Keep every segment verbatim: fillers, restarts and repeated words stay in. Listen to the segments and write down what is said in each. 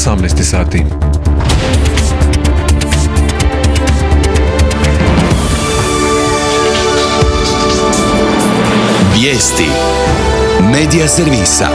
osamnaest sati. Vijesti Medija servisa.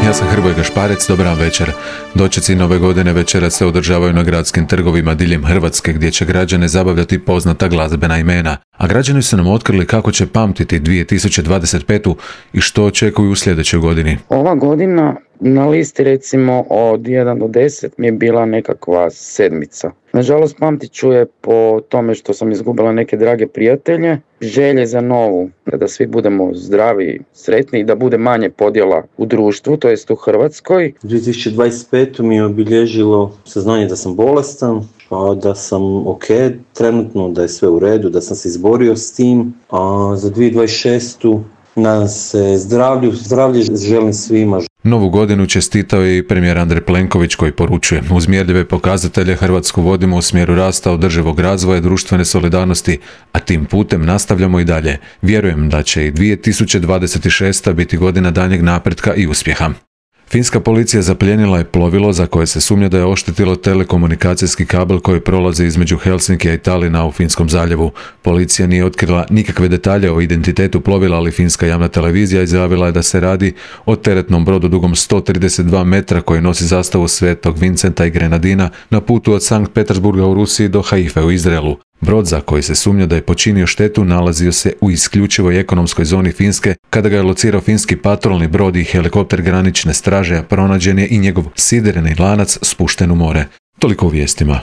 Ja sam Hrvoje Gašparec, dobar večer. Dočeci nove godine večera se održavaju na gradskim trgovima diljem Hrvatske, gdje će građane zabavljati poznata glazbena imena. A građani su nam otkrili kako će pamtiti dvije tisuće dvadeset petu i što očekuju u sljedećoj godini. Ova godina na listi recimo od jedan do deset mi je bila nekakva sedmica. Nažalost pamtit ću je po tome što sam izgubila neke drage prijatelje, želje za novu, da svi budemo zdravi, sretni i da bude manje podjela u društvu, to jest u Hrvatskoj. dvije tisuće dvadeset petu mi je obilježilo saznanje da sam bolestan, a da sam ok trenutno, da je sve u redu, da sam se izborio s tim, a za dvije tisuće dvadeset šestu nadam se zdravlju, zdravlje želim svima. Novu godinu čestitao je i premijer Andrej Plenković koji poručuje: uz mjerljive pokazatelje Hrvatsku vodimo u smjeru rasta, održivog razvoja, društvene solidarnosti, a tim putem nastavljamo i dalje. Vjerujem da će i dvije tisuće dvadeset šesta biti godina daljnjeg napretka i uspjeha. Finska policija zaplijenila je plovilo za koje se sumnja da je oštetilo telekomunikacijski kabel koji prolazi između Helsinkija i Talina u Finskom zaljevu. Policija nije otkrila nikakve detalje o identitetu plovila, ali finska javna televizija izjavila je da se radi o teretnom brodu dugom sto trideset dva metra koji nosi zastavu Svetog Vincenta i Grenadina na putu od Sankt Petersburga u Rusiji do Haife u Izraelu. Brod za koji se sumnja da je počinio štetu nalazio se u isključivoj ekonomskoj zoni Finske. Kada ga je locirao finski patrolni brod i helikopter granične straže, a pronađen je i njegov sidereni lanac spušten u more. Toliko u vijestima.